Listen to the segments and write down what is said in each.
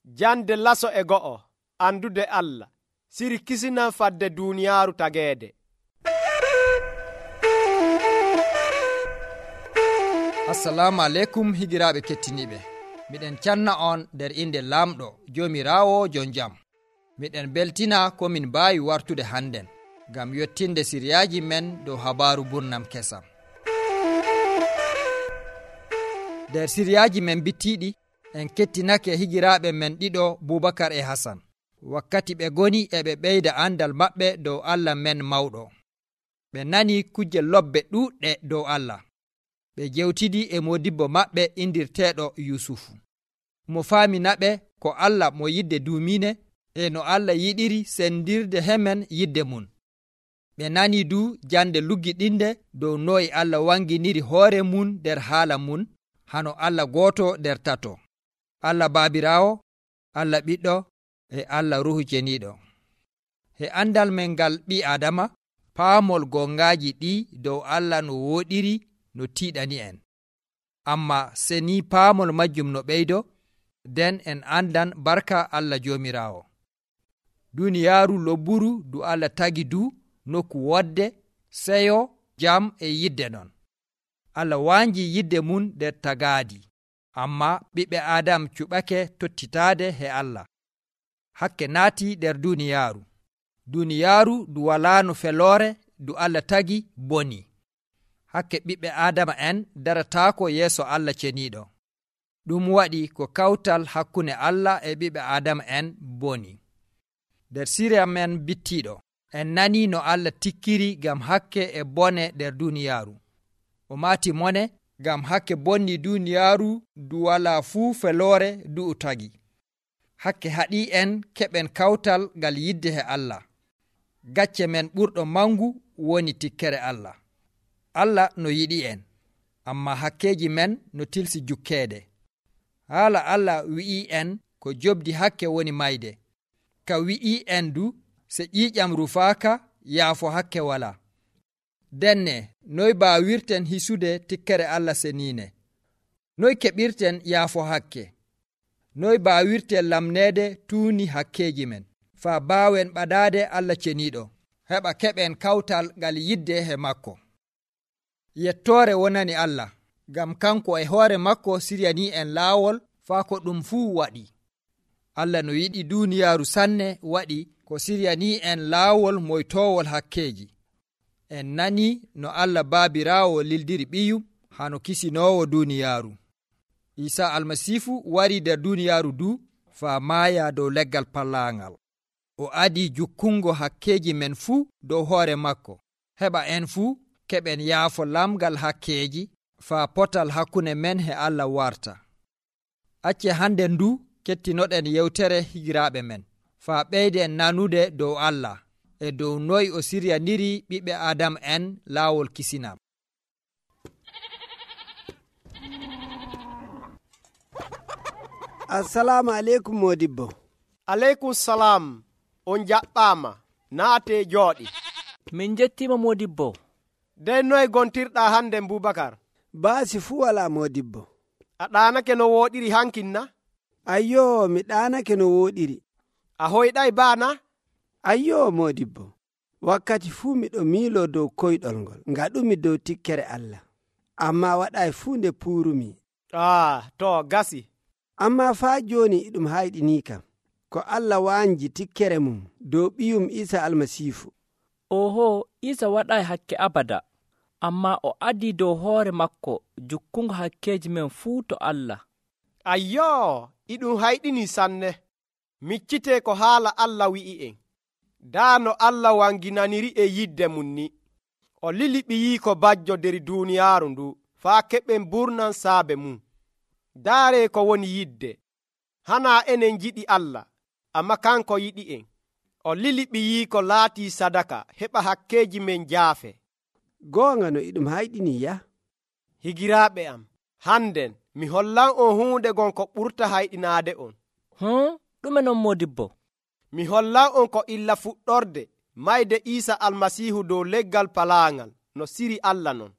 Jande laso e go'o andude Allah siri kisinan fadde duniyaaru tageede. Assalamu alaikum higiraaɓe kettiniɓe. Miɗen canna on nder inde lamɗo Joomiraawo jon jam. Miɗen beltina ko min mbaawi wartude hannden ngam yottinde siriyaaji men dow habaaru burnam kesam. Nder siriyaaji men bittiiɗi en kettinake higiraaɓe men ɗiɗo Bubakar e Hasan. Wakkati ɓe goni e ɓe ɓeyda andal maɓɓe dow Allah men mawɗo. Ɓe nani kujje lobbe ɗuuɗɗe dow Allah. Ɓe jewtidi e modibbo maɓɓe indirteeɗo Yusufu. Mo faaminaɓe ko Allah mo yidde duumine e no Allah yiɗiri sendirde hemen yidde mum. Ɓe nani du jande luggiɗinde dow noyi Allah wanginiri hoore mum nder haala mum, hano Allah gooto nder tato, Allah Baabiraawo, Allah Ɓiɗɗo e Allah Ruhu Ceniiɗo. He andal men ngal ɓi Adama, paamol gongaaji ɗi dow Allah no wooɗiri no tiiɗani en. Amma se ni paamol majjum no ɓeydo, nden en andan barka Allah Joomiraawo. Duniyaaru lobburu du Allah tagi du nokku wodde, seyo, jam e yidde non. Allah wanji yidde mum nder tagaadi, amma ɓiɓɓe Adam cuɓake tottitaade he Allah. Hakke naati nder duniyaaru. Duniyaaru du walaano feloore du Allah tagi boni. Hakke ɓiɓɓe Adama en darataako yeeso Allah ceniiɗo. Ɗum waɗi ko kawtal hakkunde Allah e ɓiɓɓe Adama en boni. Nder siriya men bittiiɗo, en nani no Allah tikkiri gam hakke e bone nder duniyaaru. O maati mone gam hakke bonni duniyaaru du wala fuu feloore du tagi. Hakke haɗi en keɓen kawtal ngal yidde he Allah. Gacce men ɓurɗo mangu woni tikkere Allah. Allah no yiɗi en, amma hakkeji men no tilsi jukkeede. Haala Allah wi'i en ko jobdi hakke woni mayde. Ka wi'i en du se ƴiiƴam rufaaka yaafo hakke wala. Denne noy baawirten hisude tikkere Allah seniine? Noy keɓirten yaafo hakke? Noy baawirten lamneede tuuni hakkeji men faa baawen ɓadaade Allah ceniiɗo, heɓa keɓen kawtal ngal yidde he makko. Yettoore wonani Allah, ngam kanko e hoore makko siryani en laawol faa ko ɗum fuu waɗi. Allah no yiɗi duniyaaru sanne waɗi ko siryani en laawol moytoowol hakkeji. En nani no Allah Baabiraawo lildiri ɓiyum hano kisinoowo duniyaaru. Isa Almasiifu wari nder duniyaaru du faa maaya dow leggal pallaangal. O adi jukkungo hakkeji men fuu dow hoore makko, heɓa en fuu keɓen yaafo lamgal hakkeji faa potal hakkunde men he Allah warta. Acce hande ndu kettinoɗen yewtere higiraaɓe men, faa ɓeyden nanude dow Allah e dow noy o siryaniri ɓiɓɓe Adam en laawol kisinam. Assalamu aleykum modibbo. Aleykum salam. On jaɓɓaama, naate jooɗi. Min jettima modibbo. Dey noy gontirɗa hande Bubakar? Baasi fuu wala modibbo. A ɗaanake no wooɗiri hankinna? Ayyo, mi ɗaanake no wooɗiri. A hoyɗay baana? Ayyo modibbo, wakkati fuu miɗo miilo dow koyɗol ngol ngaɗumi dow tikkere Allah, amma waɗay fuu nde puurumi. To gasi. Amma faa jooni iɗum hayɗini kam ko Allah wanji tikkere mum dow ɓiyum Isa Almasiifu. Oho, Isa waɗay hakke abada, amma o adi dow hoore makko jukkungo hakkeji men fuu to Allah. Ayyo, iɗum hayɗini sanne. Miccite ko haala Allah wi'i en. Daa no Allah wanginaniri e yidde mum ni. O lili ɓiyiiko bajjo nder duniyaaru ndu faa keɓen burnan saabe mum. Daare ko woni yidde. Hana enen jiɗi Allah, amma kanko yiɗi en. O lili ɓiyiiko laatii sadaka heɓa hakkeji men jaafe. Goonga no iɗum hayɗini ya? Higiraaɓe am, hannden mi hollan on huunde gon ko ɓurta hayɗinaade on. Ɗume non modibbo? Mi hollan on ko illa fuɗɗorde mayde Isa Almasiihu dow leggal palaangal no siri Allah non.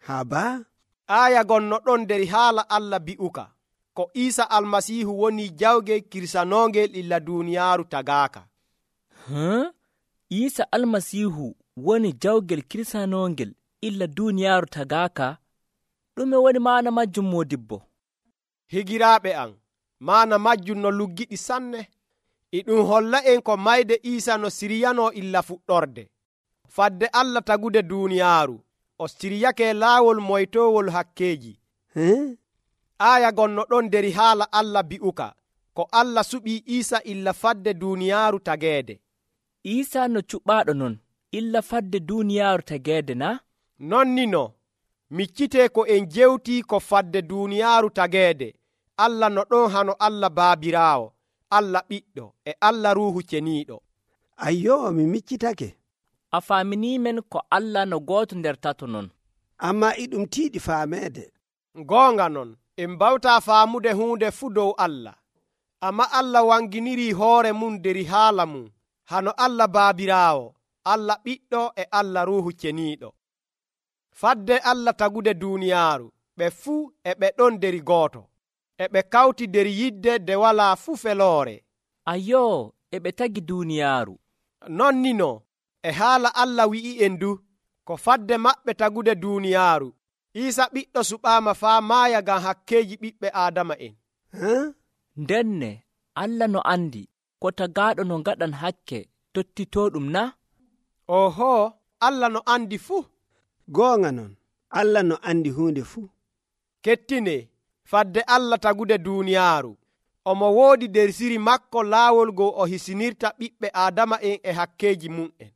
Haba? Aaya gon no ɗon nder haala Allah bi'uka. ko Iisa almasiihu woni jawgel kirsanongel illa duuniyaaru tagaaka. Iisa almasiihu woni jawgel kirsanongel illa duuniyaaru tagaaka? ɗume woni maana majjum moodibbo? Higiraaɓe am, maana majjum no luggiɗi sanne. E ɗum holla en ko mayde Iisa no siryanoo illa fuɗɗorde. Fadde Allah tagude duuniyaaru, o siryake laawol moytowol hakkeeji. Aaya gonno ɗon nder haala Allah bi'uka ko Allah suɓii Iisa illa fadde duuniyaaru tageede. Iisa no cuɓaaɗo non illa fadde duuniyaaru tageede na? Nonnino, miccitee ko en jewtii ko fadde duuniyaaru tageede. Allah no ɗon hano Allah Baabiraawo, Allah Ɓiɗɗo e Allah Ruuhu Ceniiɗo. Ayyoo, mi miccitake. A faaminiimen ko Allah no gooto nder tato non. Ammaa e ɗum tiiɗi faameede. Goonga non, en mbawtaa faamude huunde fuu dow Allah. Amma Allah wanginirii hoore mum nder haala mum, hano Allah Baabiraawo, Allah Ɓiɗɗo e Allah Ruuhu Ceniiɗo. Fadde Allah tagude duuniyaaru, ɓe fuu e ɓe ɗon nder gooto, e ɓe kawti nder yidde nde walaa fuu feloore. Ayoo, e ɓe tagi duuniyaaru. Nonnino, e haala Allah wi'i'en du, ko fadde maɓɓe tagude duuniyaaru, Iisa ɓiɗɗo suɓaama faa maaya ngam hakkeeji ɓiɓɓe Aadama'en. Ndenne Allah no andi ko tagaaɗo no ngaɗan hakke tottitooɗum na? Oho, Allah no andi fuu. Goonga non, Allah no andi huunde fuu. Kettine, fadde Allah tagude duuniyaaru, omo woodi nder siri makko laawol goo o hisinirta ɓiɓɓe Aadama'en e hakkeeji mum'en.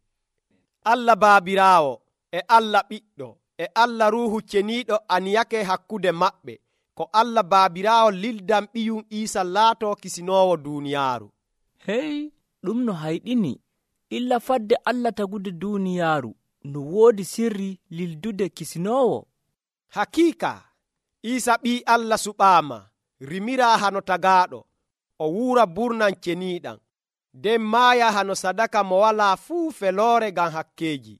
Allah Baabiraawo e Allah Ɓiɗɗo e Allah Ruuhu Ceniiɗo aniyake hakkude maɓɓe ko Allah Baabiraawo lildan ɓiyum Iisa laatoo kisinoowo duuniyaaru. Hey, ɗum no hayɗini illa fadde Allah tagude duuniyaaru no woodi sirri lildude kisinoowo. Hakiika, Iisa ɓii Allah suɓaama, rimiraa hano tagaaɗo, o wuura burnan ceniiɗam, nden maaya hano sadaka mo walaa fuu feloore ngam hakkeeji.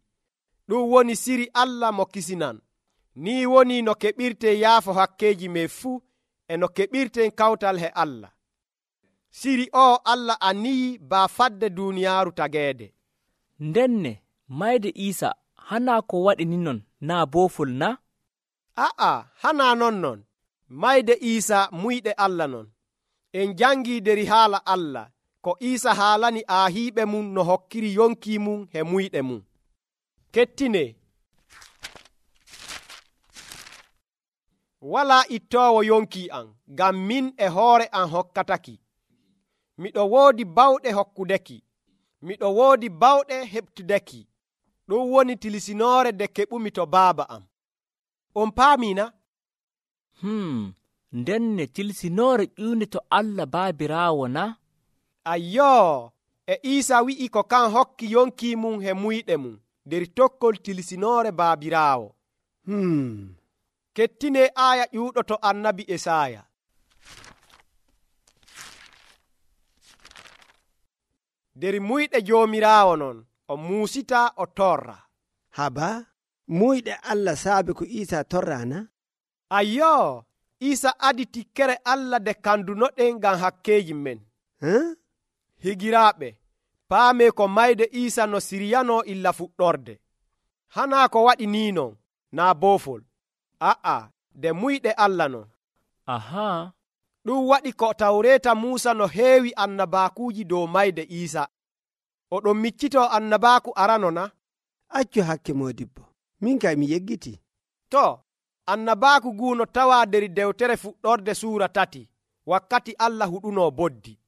Ɗum woni siri Allah mo kisinan. Ni woni no keɓirten yaafo hakkeeji men fuu e no keɓirten kawtal he Allah. Siri o Allah aniyi baa fadde duuniyaaru tageede. Ndenne mayde Iisa hanaa ko waɗi ni non naa boofol na? A'a, hanaa non. Mayde Iisa muyɗe Allah non. En jangii nder haala Allah ko Iisa haalani aahiiɓe mum no hokkiri yonki mum he muyɗe mum. Kettine, walaa ittoowo yonki am, ngam min e hoore am hokkataki. Miɗo woodi bawɗe hokkudeki, miɗo woodi bawɗe heɓtudeki. Ɗum woni tilisinoore nde keɓumi to baaba am. On paamina? Ndenne tilsinoore ƴuunde to Allah Baabiraawo na? Ayyoo, e Iisa wi'i ko kan hokki yonki mum he muyɗe mum nder tokkol tilsinoore Baabiraawo. Kettine aaya ƴuuɗo to annabi Esaaya. Nder muyɗe Joomiraawo non, o muusita o torra. Haba, muyɗe Allah saabe ko Iisa torra na? Ayyoo, Iisa adi tikkere Allah nde kandunoɗen ngam hakkeeji men. Higiraaɓe, paame ko mayde Iisa no siryanoo illa fuɗɗorde. Hanaa ko waɗi ni non, naa boofol. A'a, nde muyɗe Allah non. Ahaa. Ɗum waɗi ko Tawreeta Muusa no heewi annabaakuuji dow mayde Iisa. Oɗon miccitoo annabaaku arano na? Accu hakke moodibbo, min kay mi yeggiti. To, annabaaku guuno tawaa nder dewtere fuɗɗorde suura 3, wakkati Allah huɗunoo boddi.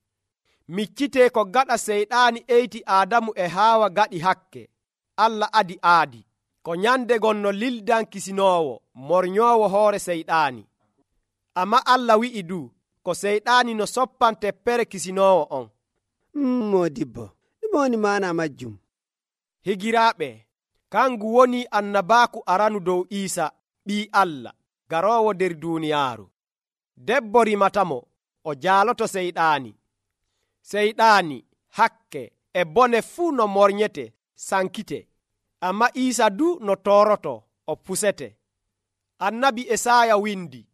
Miccitee ko gaɗa seyɗaani eyti Aadamu e Haawa gaɗi hakke. Allah aadi, ko nyande gonno lildan kisinoowo, mornyoowo hoore seyɗaani. Amma Allah wi'i du, ko seyɗaani no soppan teppere kisinoowo on. Moodibbo, ɗum woni maana majjum. Higiraaɓe, kangu woni annabaaku aranu dow Iisa, ɓii Allah, garoowo nder duuniyaaru. Debbo rimatamo, o jaaloto seyɗaani. Seyɗaani, hakke e bone fuu no mornyete, sankite. Amma Iisa du no tooroto, o pusete. Annabi Esaaya windi,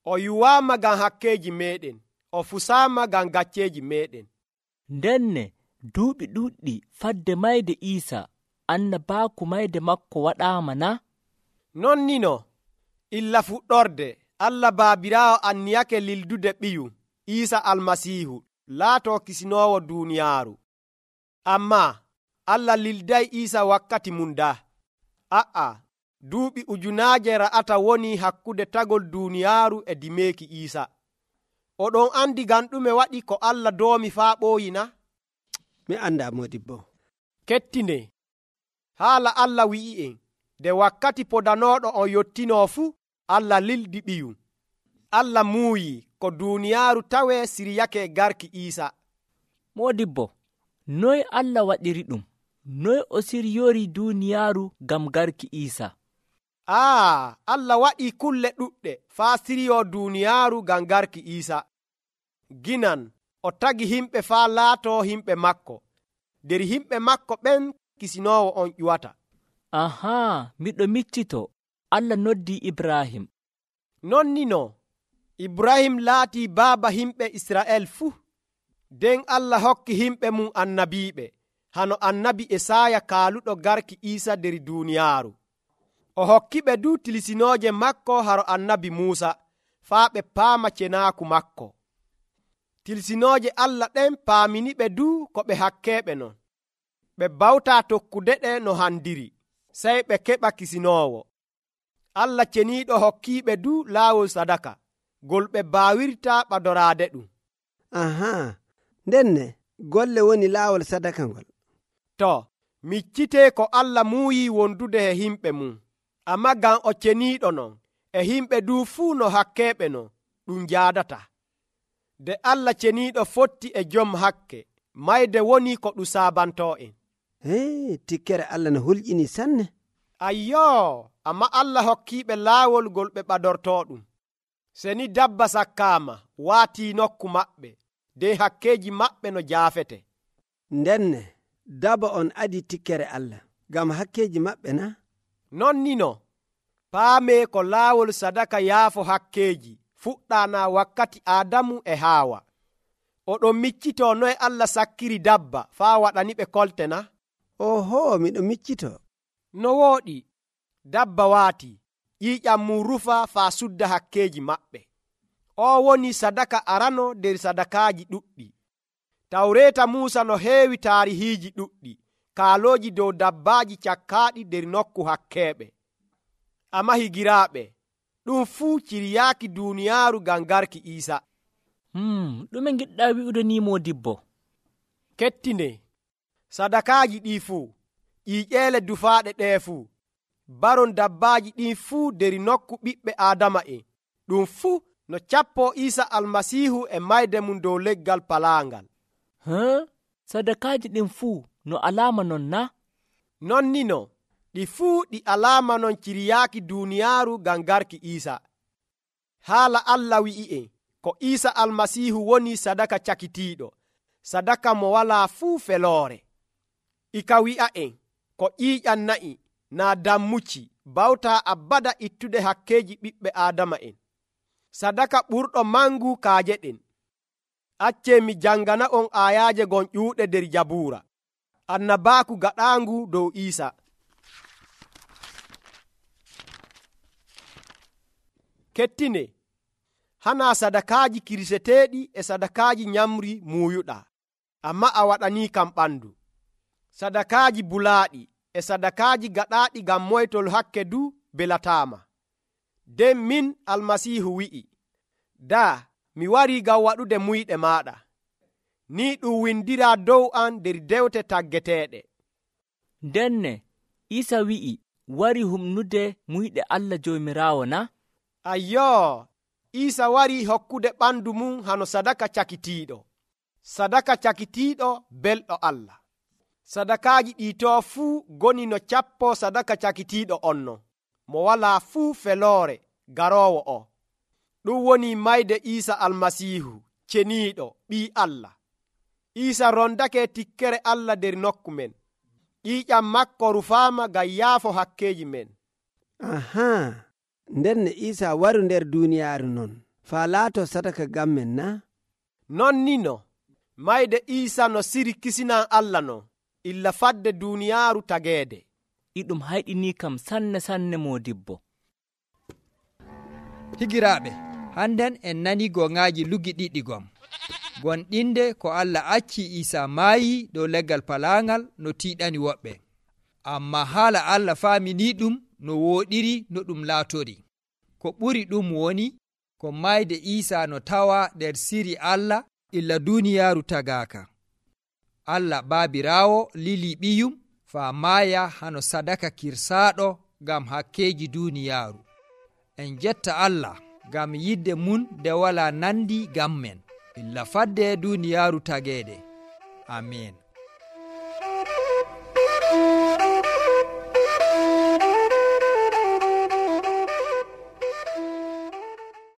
o yuwaama ngam hakkeeji meeɗen, o fusaama ngam gacceeji meeɗen. ndenne duuɓi ɗuuɗɗi fadde mayde Iisa annabaaku mayde makko waɗaama na? Non ni no, illa fuɗɗorde Allah Baabiraawo anniyake lildude ɓiyu Iisa Almasiihu laatoo kisinoowo duuniyaaru. Ammaa Allah lilday Iisa wakkati mum daa. Duuɓi ujunaaje ra'ata woni hakkude tagol duuniyaaru e dimeeki Iisa. Oɗon andi ngam ɗume waɗi ko Allah doomi faa ɓooyi na? Mi anda modibbo. Kettine, haala Allah wi'i'en, nde wakkati podanooɗo on yottinoo fuu, Allah lildi ɓiyu. Allah muuyi ko duuniyaaru tawee siryake garki Iisa. Moodibbo, noy Allah waɗiri ɗum? Noy o siryorii duuniyaaru ngam garki Iisa? Allah waɗii kulle ɗuɗɗe faa siryoo duuniyaaru ngam garki Iisa. Ginan o tagi himɓe faa laatoo himɓe makko. nder himɓe makko ɓen kisinoowo on ƴuwata. Miɗo miccito Allah noddii Ibrahim. Non ni no, Ibrahim laatii baaba himɓe Isra'el fuu. nden Allah hokki himɓe mum annabiiɓe, hano annabi Esaya kaaluɗo garki Iisa nder duuniyaaru. O hokkiɓe du tilsinooje makko haro annabi Muusa, faa ɓe paama cenaaku makko. Tilsinooje Allah ɗen paaminiɓe du ko ɓe hakkeeɓe non. Ɓe bawtaa tokkude ɗe no handiri, sey ɓe keɓa kisinoowo. Allah ceniiɗo hokkiiɓe du laawol sadaka, gol ɓe baawirta ɓadoraade ɗum. Ndenne golle woni laawol sadaka ngol. To, miccitee ko Allah muuyii wondude e himɓe mum, ammaa ngam o ceniiɗo non, e himɓe du fuu no hakkeeɓe non, ɗum jaadata. Nde Allah ceniiɗo fotti e jom hakke, mayde woni ko ɗum saabantoo en. Tikkere Allah no hulƴini sanne. Amma Allah hokkiiɓe laawol gol ɓe ɓadortoo ɗum. Seni dabba sakkaama waatii nokku maɓɓe, nden hakkeeji maɓɓe no jaafete. Ndenne daba on adi tikkere Allah, ngam hakkeeji maɓɓe na? Non ni no, paamee ko laawol sadaka yaafo hakkeeji fuɗɗaana wakkati Aadamu e Haawa. Oɗon miccitoo noye Allah sakkiri dabba faa waɗani ɓe kolte na? Miɗo miccitoo. No wooɗi, dabba waati, ƴiiƴam mum rufa faa sudda hakkeeji maɓɓe. Woni sadaka arano nder sadakaaji ɗuɗɗi. Tawreeta Muusa no heewi taarihiiji ɗuɗɗi, kaalooji dow dabbaaji cakkaaɗi nder nokku hakkeeɓe. Amma higiraaɓe, ɗum fuu ciryaaki duuniyaaru ngam garki Iisa. Ɗume ngiɗɗaa wi'ude ni Moodibbo? Kettine, sadakaaji ɗii fuu, ƴiiƴeele dufaaɗe ɗee fuu, baron dabbaaji ɗin fuu nder nokku ɓiɓɓe Aadama'en, ɗum fuu no cappoo Iisa Almasiihu e mayde mum dow leggal palaangal. Sadakaaji ɗin fuu no alaama non na? Non ni no, ɗi fuu ɗi alaama non ciryaaki duuniyaaru ngam garki Iisa. Haala Allah wi'i'en ko Iisa Almasiihu woni sadaka cakitiiɗo, sadaka mo walaa fuu feloore. Ika wi'a'en ko ƴiiƴam na'i naa dammuci bawtaa abada ittude hakkeeji ɓiɓɓe Aadama'en. Sadaka ɓurɗo mangu kaaje ɗen. Accee mi jangana on aayaaje gon ƴuuɗe nder Jabuura, annabaaku gaɗaangu dow Iisa. Kettine, hanaa sadakaaji kirseteeɗi e sadakaaji nyamri muuyuɗaa, amma a waɗanii kam ɓandu. Sadakaaji bulaaɗi e sadakaaji gaɗaaɗi ngam moytol hakke du belataama. Nden min Almasiihu wi'i, mi warii ngam waɗude muyɗe maaɗa. Ni ɗum windiraa dow an nder dewte taggeteeɗe. Ndenne Iisa wi'i wari humnude muyɗe Allah Joomiraawo na? Iisa warii hokkude ɓandu mum hano sadaka cakitiiɗo. Sadaka cakitiiɗo belɗo Allah. Sadakaaji ɗiitoo fuu goni no cappoo sadaka cakitiiɗo on non, mo walaa fuu feloore garoowo o. Ɗum woni mayde Iisa Almasiihu, ceniiɗo ɓii Allah. Iisa rondake tikkere Allah nder nokku men. ƴiiƴam makko rufaama ngam yaafo hakkeeji men. Ndenne Iisa waru nder duuniyaaru non, faa laato sadaka ngam men na? non ni no mayde Iisa no siri kisinan Allah no illa fadde duniyaaru tageede. iɗum hayɗini kam sanne modibbo. higiraaɓe, hannden en nani goŋaaji lugiɗiɗi gom. gonɗinde ko Allah acci Iisa maayi dow leggal palaangal no tiiɗani woɓɓe, amma haala Allah faamini ɗum no wooɗiri no ɗum laatori. ko ɓuri ɗum woni ko mayde Iisa no tawa nder siri Allah illa duniyaaru tagaaka. Allah baabiraawo lili ɓiyum faa maaya hano sadaka kirsaaɗo ngam hakkeeji duniyaaru. en jetta Allah ngam yidde mun nde wala nandi ngam men illa fadde duniyaaru tageede. amin.